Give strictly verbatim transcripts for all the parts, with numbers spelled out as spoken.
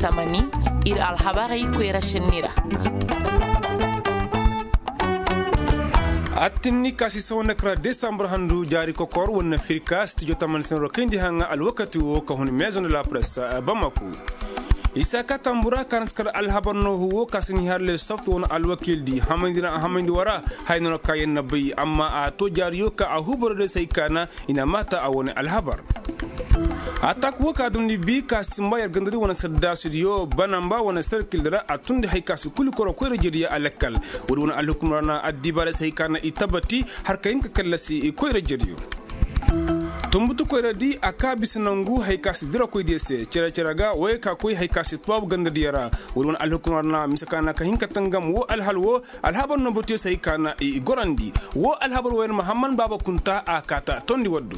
Tamani, ir alhabarey koyra senni ra. Attinni ka si sawa nda kara desambur handu jaari kokor wane na firka stijo tamani senero kayndi haŋa alwakati wo ka hun maison de la presse bamako. Isa ka tambura ka na si kar alhabar noohu wo ka si ni har le soft wane alwakildi hamayndi ra hamayndi wara. Hay nono ka yer na bay amma a to jaariyo ka a hubaro de say ka na i na maata a wane alhabar. Atak wo ka dumndi bi ka simba yer gandadi wane saddaasudiyo banamba wane sarkildi ra a tundi hay ka si kuli koro koyra jediyo a lakkal. Woodi wane alhukumra na addibaarey se hay ka na i tabati har ka hin ka kallasi koyra jediyo. Tumbutu koyradi a ka bisa nangu hay ka si dirakoydiyo se cere-cere ga woyey ka koy hay ka si tubaabu gandadiyo ra. Woodi wane alhukumra na mise ka na ka hin ka tangam wo alhal wo. Alhabar no batiyo se hay ka na i gorandi wo alhabar wo yer mahamman baaba kunta a kaata tondi waddu.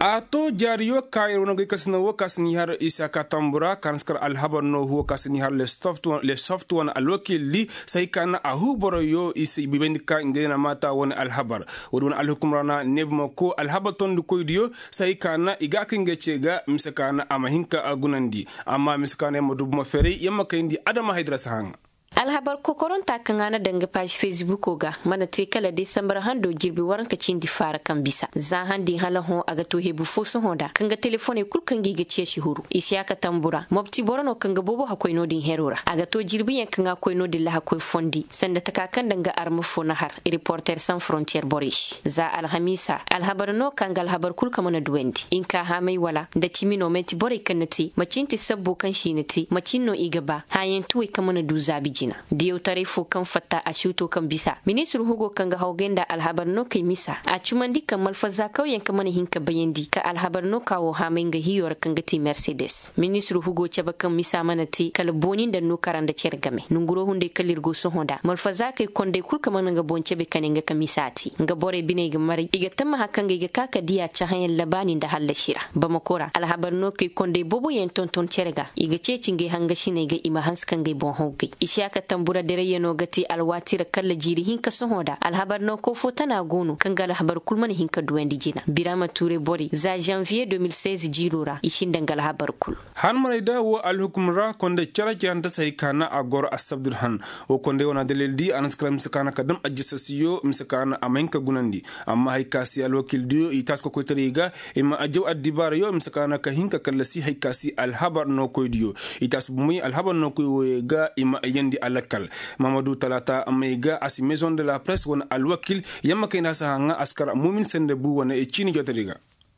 A to jaariyo ka yer wane goy kasina wo ka si ni har isa ka tambura ka na si kar alhabar no huwo ka si ni har le soft wane alwakildi se hay ka na a huu boroyo i si bayndi ka ngey na maata wane alhabar. Woodi wane alhukumra na neebuma ko alhabar tondikoydiyo se hay ka na i ga a kay ngey ce ga mise ka na a ma hin ka gunandi. Amma mise ka na yer ma du buma ferey yer ma kayndi adama haydira si haŋa. Alhabar kokoronta kaŋ a na daŋ ga paazi fesbuko ga mana te kala desambar hando jirbi waranka cindi faara kaŋ bisa za handi hala hõ a ga to hebu fo sohõ nda kaŋ ga telefoney kul kaŋ ga i ga ceeci huru isiyaka tambura mobti boro no kaŋ ga boobo hakkoy no-din hero ra a ga to jirbiyaŋ kaŋ a koy no-din lahakoy fondi sanda taka kaŋ daŋ ga arma fo na har reporter san frontiyer borey se za alhamiisa alhabar no kaŋ ga alhabar kul kaŋ mana duwandi hinka haamay wala nda cimi no manti borey kaŋ na te macin ti sabbo kaŋ se i na te macin no i ga ba hãyantuwey kaŋ mana du zaabi jina. Diyawtaray fo kaŋ fatta a si wuto kaŋ bisa ministir hugo kaŋ ga hawgay nda alhabar no kay misa a cumandi kaŋ malfaza kawyaŋ kaŋ mana hin ka bayandi ka alhabar no ka wo haamay nga hiyo ra kaŋ ga te mersedes ministir hugo cabe kaŋ misa mana te kala booni nda nokara nda cere game nonguro hunday kala ir go sohõ nda malfaza kay konday kul kaŋ mana nga boŋ cabe kane nga ka misa te nga borey biney ga maray i ga tammaha kaŋ ga i ga ka ka diya cahãyaŋ labaani nda hallasi ra. Bamako ra alhabar no kay konday booboyaŋ tonton cere ga i ga ceeci ngey hangasiney ga i ma hanse ka ngey boŋ hawgay isiyaka tambura dirayyanoo ga te alwaati ra kalla jiiri hinka sohõ nda alhabar no koofo tana go no kaŋ ga alhabar kul mana hin ka duwandi jina birama tuure borey za zanviye deux mille seize jiiroo ra i sinda nga alhabar kul. Han marayda woo alhukum ra konday cere-cerante se hay ka na a goro assabdul han. Woo konday wane dalildi a na si kala mise ka na ka dam ajjasasiyo mise ka na a ma hin ka gunandi. Amma hay ka si alwakildiyo i taasi kokoytaray ga i ma ajjaw addibaarayo mise ka na ka hin ka kallasi hay ka si alhabar nookoydiyo i taasi bumey alhabar nookoy wooyey ga i ma ayyandi alakkal. Mahamadu talaata may ga a si maison de la presse wane alwakil yamma kayna a si haŋa a si kar muumin sende bu wane ciini jootaray ga.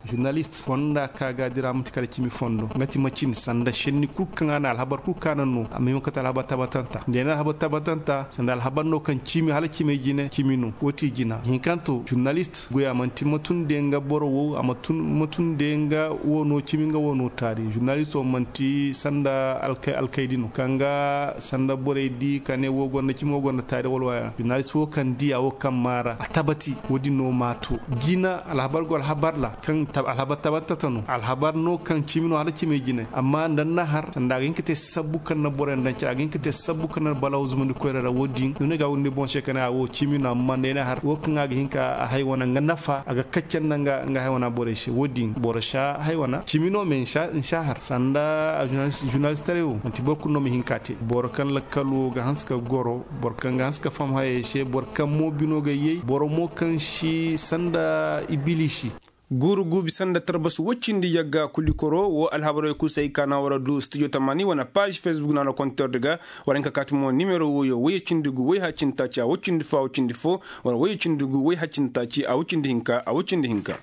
Zurnalist fonda ka ga dira manti kala cimi fondo nga ti macin sanda senni kul kaŋ a na alhabar kul kaŋ a na no amma i ma kate alhabar tabatanta nda i na alhabar tabatanta sanda alhabar no kaŋ cimi hala cimey jine cimi no woo ti jina hinkanto zurnalist goya manti ma tun de nga boro wo a ma tun ma tun de nga wo no cimi nga wo no taari zurnalist wo manti sanda alkaydi no kaŋ ga sanda borey di ka ne wo gonda cimi wo gonda taari wala waya zurnalist wo kaŋ diya wo kaŋ maara a tabati wo- din no ma to jina alhabar go alhabar ra kaŋ alhabar tabatanta no alhabar no kaŋ cimi no hala cimey jine amma nda ni na har sanda a ga hin ka te sabbu kaŋ na borey nda ni care a ga hin ka te sabbu kaŋ na balaw zumandi koyra ra wo- din no ni ga windi boŋ se ka ne a wo cimi no amma nda ay na har wo kaŋ a ga hin ka a hay wane nga nafa a ga kacce nda nga hay wane borey se wo- din boro si a hay wane cimi no me ni si a har sanda zurnalistaray wo manti boro kulu no ma hin ka a te boro kaŋ lakkal wo ga hanse ka goro boro kaŋ ga hanse ka faham hayey se boro kaŋ mo bino ga yay boro mo kaŋ si sanda ibilisi. Guuru guubi sanda tarbas woy cindi yagga kulikoro woo alhabarey kul se ay ka na war a du stijo tamaani wane paaž fesbuk na war a kontordi ga. War a hin ka kaati mo nimero wooyo woy cindi gu woy hacinta ci a woy cindi fo a woy cindi fo war a woy cindi gu woy hacinta ci a woy cindi hinka a woy cindi hinka.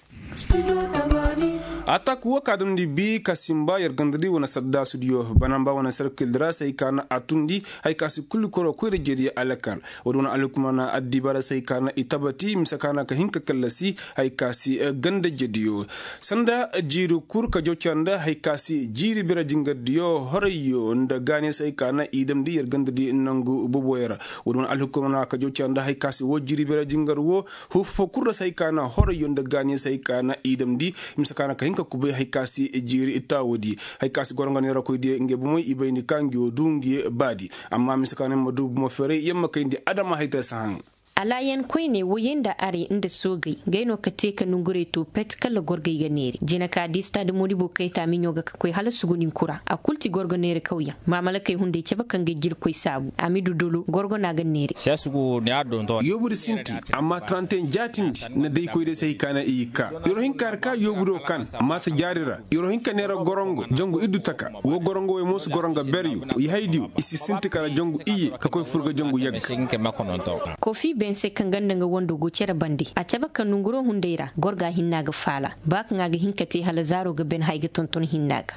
Atak woo ka damndi bi ka simba yer gandadi wane saddaasudiyo banamba wane sarkildi ra se ay ka na a tundi. Hay ka si kulikoro koyra jeediyo alakal. Woodi wane alhukumana addibaara se hay ka na i tabati mise ka na ka hin ka kallasi. Hay ka si ganda jediyo sanda jiiri kur ka jawca nda hay ka si jiiri bira jingardiyo horayyo nda gaaniyo se hay ka na i damndi yer gandadi nangu boboyo ra. Woodi wane alhukumana ka jawca nda hay ka si woo jiiri bira jingar woo huffo kur ra se hay ka na horayyo nda gaaniyo se hay ka na i damndi. Mise ka na ka hin ka kubay hay ka si jiiri taawudi. Hay ka si goro nga neerakoydiyo ngey bomey i bayndi ka ngi woo du ngi baadi. Amma mise ka na yer ma du bomo ferey yer ma kayndi adama hay tara si haŋ. Alaayan koyney woyey nda arey nda soogey, ngey no ka te ka nongurey to pet kala gorgey ga neeri jina ka di stade modibo kayta miɲo ga ka koy hala sugunin kura a kul ti gorgo neeri kawyaŋ. Maamalakey hunday cabe kaŋ ga jirkoy saabu a ma i du dolo gorgo no a ga neeri. Yoobu di sinti, amma taranteyaŋ jaatindi na day koy day se hay ka na i ga ka. Yer wo hin ka har ka yoobu do kan maasa jaari ra. Yer wo hin ka neera gorongo jangu iddu taka. Woo gorongo wey mo si gorongo beryo. Yahaydiyo i si sinti kala jangu iyye ka koy fur ga jangu yagga. Kofi ben se kaŋ ganda nga wando go cere bande a cabe ka nonguro hunday ra gorga hinna ga faala. Ba kaŋ a ga hin ka te hala zaaro ga ben hay ga tonton hinna ga.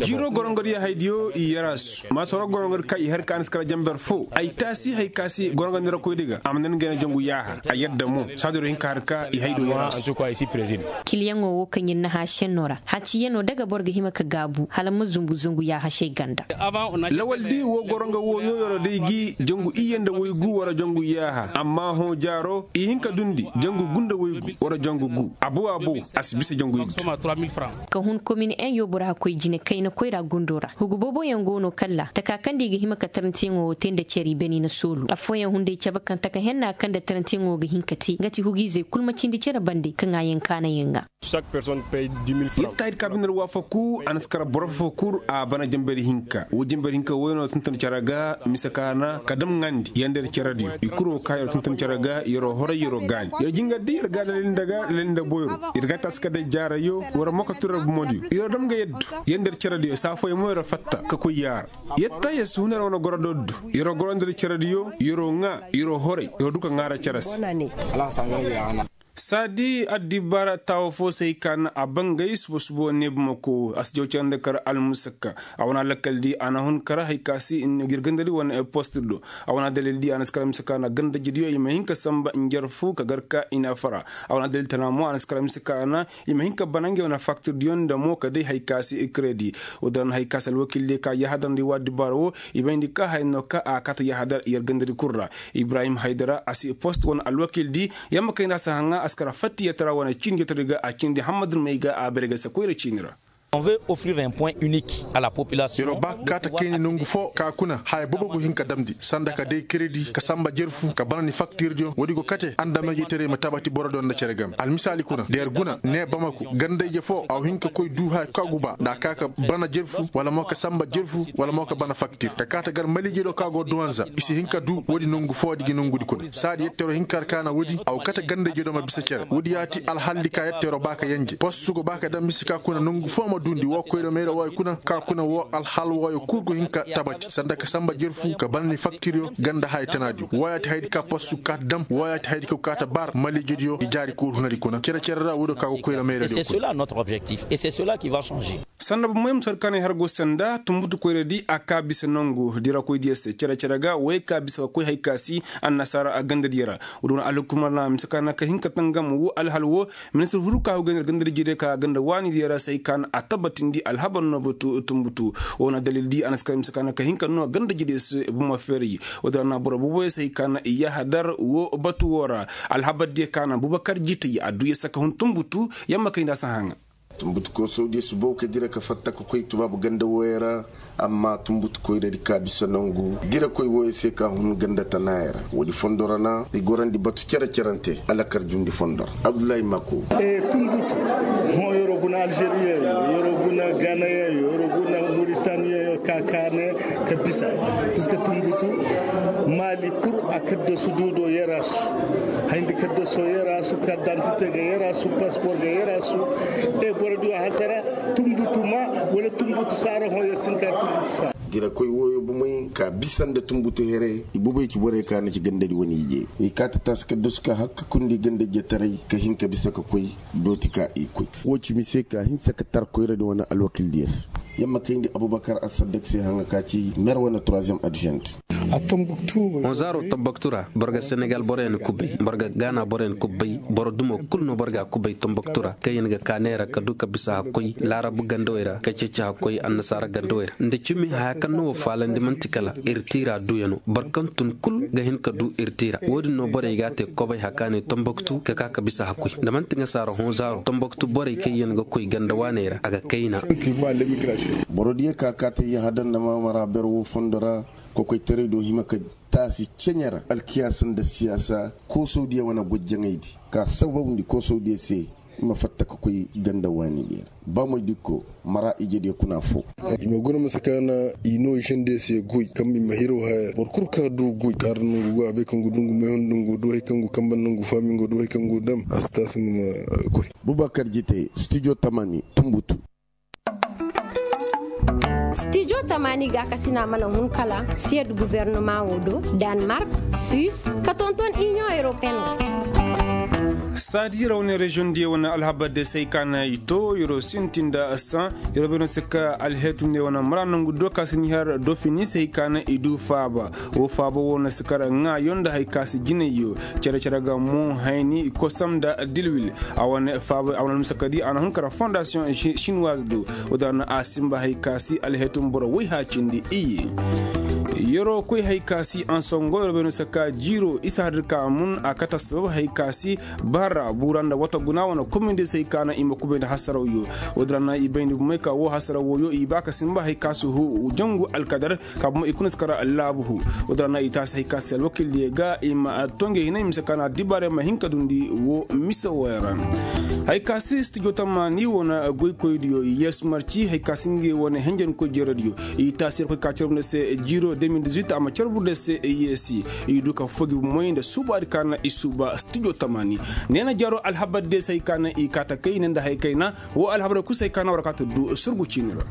Jiiro gorongodiyo haydiyo i yaraasu. Maasoro gorongodi ka i har ka a na si kara jamber fo ay taasi hay ka si gorongodi ra koydi ga a ma nan gayna jangu yaaha. A yadda mo saadiro hin ka har ka i haydiyo yaraasu. Kiliyaŋo wo kaŋ yer na hã senno ra haciyano daga boro ga hima ka gaabu hala ma zumbu zangu yaaha se ganda. Lawaldi wo goro nga wo yooyoro day gi jangu iyye nda waygu wara jangu iyye aha amma hõ jaaro i hin ka dundi jangu gu nda waygu wara jangu gu. Abo abo a si bisa jangu iddu. Ka hun komin en yoobu ra hakkoy jine kayna koyra gundo ra hugu booboyaŋ go no kalla taka kaŋ da i ga hima ka tarantiyaŋo wo te nda cere i bani na soolu affooyaŋ hunday cabe kaŋ taka henna kaŋ nda tarantiyaŋo ga hin ka te nga ti hugu izey kul ma cindi cere bande kaŋ a yaŋ kaanayaŋ ŋa. Yer taahir ka bine alwaafaku a na si kara boro fo fo kul a bana jambari hinka wo jambari hinka wo yer no tonton cere ga mise ka na ka damŋandi yer nda yer cerediyo i kul wo ka yer tonton cere ga yer wo horay yer wo gaani yer jingar di yer ga lalin nda ga lalin nda boyro yer ga taasi ka day jaarayo war mo ka tun yer bumodiyo yer wo dam ga yaddu yer nda yer cerediyo saafooyaŋ mo yer wo fatta ka koy yaara. Yer ta yer si hun yer wane goro doddo yer wo goro nda yer cerediyo yer wo ŋaa yer wo horay yer wo du ka ŋaara cere se. Saadi addibaara taawo fo se hay ka na a bangay suba suba ne bumako a si jaw cere nda kar almusakka. A wane alakal di a na hun kar hay ka si ir gandadi wane post do a wane adalil di a na si kar mise ka na gandajidiyo i ma hin ka samba njarfu ka gar ka i na fara. A wane adalil tana mo a na si kar mise ka na i ma hin ka bana ngey wane faktir diyo nda mo ka day hay ka si kredi. Wo din ra na hay ka si alwakil diyo ka yahadandi wa addibaara wo i bayndi ka haya no ka a kaata yahadar yer gandadi kul ra. Ibrahim haydara a si post wane alwakil di yamma kayna a si haŋa a si kar fattiyatara wane ciini jotari ga a cindi hammad may ga a bare ga si koyra ciini ra. Yer wo ba ka kaata kayni nongu fo ka kuna haya boobo go hin ka damndi sanda ka day kredi ka samba jerfu ka bana ni faktirdiyo woodi go kate andamey ga i taray ma tabati borodiyo nda cere game almisaali kuna da yer guna ne bamaku gandayje fo a wo hin ka koy du haya ka guba nda a ka ka bana jerfu wala mo ka samba jerfu wala mo ka bana faktir ka kaata gar maliijediyo ka go duwanza i si hin ka du woodi nongu foodi gi nongudi kuna saadi yetteeroo hin ka har ka na woodi a go kate gandayjediyo ma bisa cere woodi ya ti alhaldi ka yetteeroo ba ka yenje postu go ba ka dam mise ka kuna nongu foo ma duundi woo koyra mayra wooyo kuna ka kuna woo alhal wooyo kul go hin ka tabati sanda ka samba jerfu ka bana ni faktiryo ganda haya tanaadiyo wooyo ya ti hayadi ka postu kaata dam wooyo ya ti hayadi ka go kaata bar maliijediyo i jaari kul hunadi kuna cere cere ra woodiyo ka go koyra mayradiyo kuna. Sanda bomoy ma sar kaanay har go sanda tumbutu koyradi a ka bisa nongu dirakoydiyo se cere cere ga wey ka bisa ka koy hay ka si annasaara a gandadiyo ra. Woodi wane alhukumar na mise ka na ka hin ka tangam wo alhal wo ministir huru ka huga nir gandadiyo diyo ka ganda waanidiyo ra se hay ka na a tabbatindi alhabar no batu tumbutu. Wo na dalil di a na si ka mise ka na ka hin ka no gandadiyo se bomo feeri. Woodi ra na boro boboyo se hay ka na i yahadar wo batu wo ra alhabar diyo ka na bubakar jitay a du ya saka hun tumbutu yamma kay nda a si haŋa. Tumbutu koosawdiyo si bow ka dira ka fatta ka koy tubaabu ganda wooyo ra. Amma tumbutu koyradi ka bisa nongu dirakoy wooyo se ka hun ganda tanaayo ra woodi fondo ra na i gorandi batu cere cerante alakar jundi fondo ra. Abdullahi mako. Tumbutu hõ yeroo guna alžeriyeŋ yo yeroo guna ganayeŋ yo yeroo guna muritaneyeŋ yo ka kaane ka bisa. Piska tumbutu maali kul a kaddasu du do yeraasu. Hayndi kaddasoo yeraasu kardantite ga yeraasu paspor ga yeraasu. E borodiyo hasara tumbutu ma wala tumbutu saara hõ yer si hin ka tumbutu saara. Dirakoy wooyo bomey ka bisa nda tumbutu here i bobey ci borey ka na ci gandadi wane ije i kaata taasi kaddasu ka har ka kundi gandajetaray ka hin ka bisa ka koy. Dooti ka i koy. Woo ci mise ka hinsa ka tar koyradi wane alwakildiyo se. Yamma kayndi abubakar asadak se haŋa ka ci mer wane troisième adjoint. Honzaaro tomboktu ra boro ga senegal boroyaŋ kubay boro ga gaana boroyaŋ kubay boro dumo kul no boro ga a kubay tomboktu ra kaŋ yaŋ ga ka neera ka du ka bisa hakkoy laarabu gandawey ra ka ceeci hakkoy annasaara gandawey ra nda cimi haya kaŋ no wo faalandi man'ti kala ir tiira duyaŋo boro kaŋ tun kul ga hin ka du ir tiira wo-din no borey ga a te kobay hakaaney tomboktu ka ka ka bisa hakkoy nda man'ti ŋasaara honzaaro tomboktu borey kaŋ yaŋ ga koy ganda waaney ra a ga kayna. Borodiyo ka ka te yahada nda maamara ber wo fondo ra kokoytaray do hima ka A si ceɲe ra alkiyaasa nda siyaasa koosawdiyo wane goy jaŋaydi ka sababndi koosawdiyo se. I ma fatta ka koy ganda waani diyo ra ba moy dikko mara ijediyo kuna foo. I ma guna masa kaana i no i sendey se goy kaŋ i ma hiraw haya ra boro kul ka du goy kaara nangu go a bay kaŋ go du ngu may hundu ngu du hari kaŋ go kambe nangu faami ngu du hari kaŋ go dam a si taasu ngu ma koy. Bubakar jite studio tamani tumbutu. Stijo tamaani gaakasina mana hun kala siyed gubernama wo do, danmark, suis, ka tonton inion europeen wo. Saadi yer wane reziyoŋ diyo wane alhabar de se hay ka na i to yer wo sintin nda san yer wo bay no se ka alheetum ne wane mara nangu do ka si ni har dofini se hay ka na i du faaba. Wo faaba wo na si kar ŋaayo nda hay ka si jinayyo. Cere cere ga mo hayni kosam nda dilwil. A wane faaba a wane almusakadi a na hun kar fondasiyoŋ shinwaz do. Wo-din ra no a sinba hay ka si alheetum boro woy haacindi iyye. Yeroo koy hay ka si ansongo yeroo bay no se ka jiiroo isa har dir ka mun a kate assabab hay ka si bara buura nda wata guna wane komindiyo se hay ka na i ma kubay nda hasarawyo. Wo-din ra no i bayndi bumey ka woo hasaraw wooyo i ba ka sinba hay ka si huu jangu alkadar. Ka bumey i kuna si kar laabu huu. Wo-din ra no i taasi hay ka si alwakildiyo ga i ma to ngey hinay mise ka na addibaarey ma hin ka dundi woo mise wooyo ra. Hay ka si stijo tammaani wane goykoydiyo i yeesu marci hay ka si ngey wane henjenkoy jerediyo. I taasi yer koy ka carbu nda se jiiro de mil dizuit a ma carbu nda se yeesi. I du ka fogi moy nda suubaadi ka na i suuba stijo tammaani. Neena jaaroo alhabar de se hay ka na i kaa ta kay ne nda hay kayna. Woo alhabarey kul se hay ka na war kaa ta du surgu ciini ra.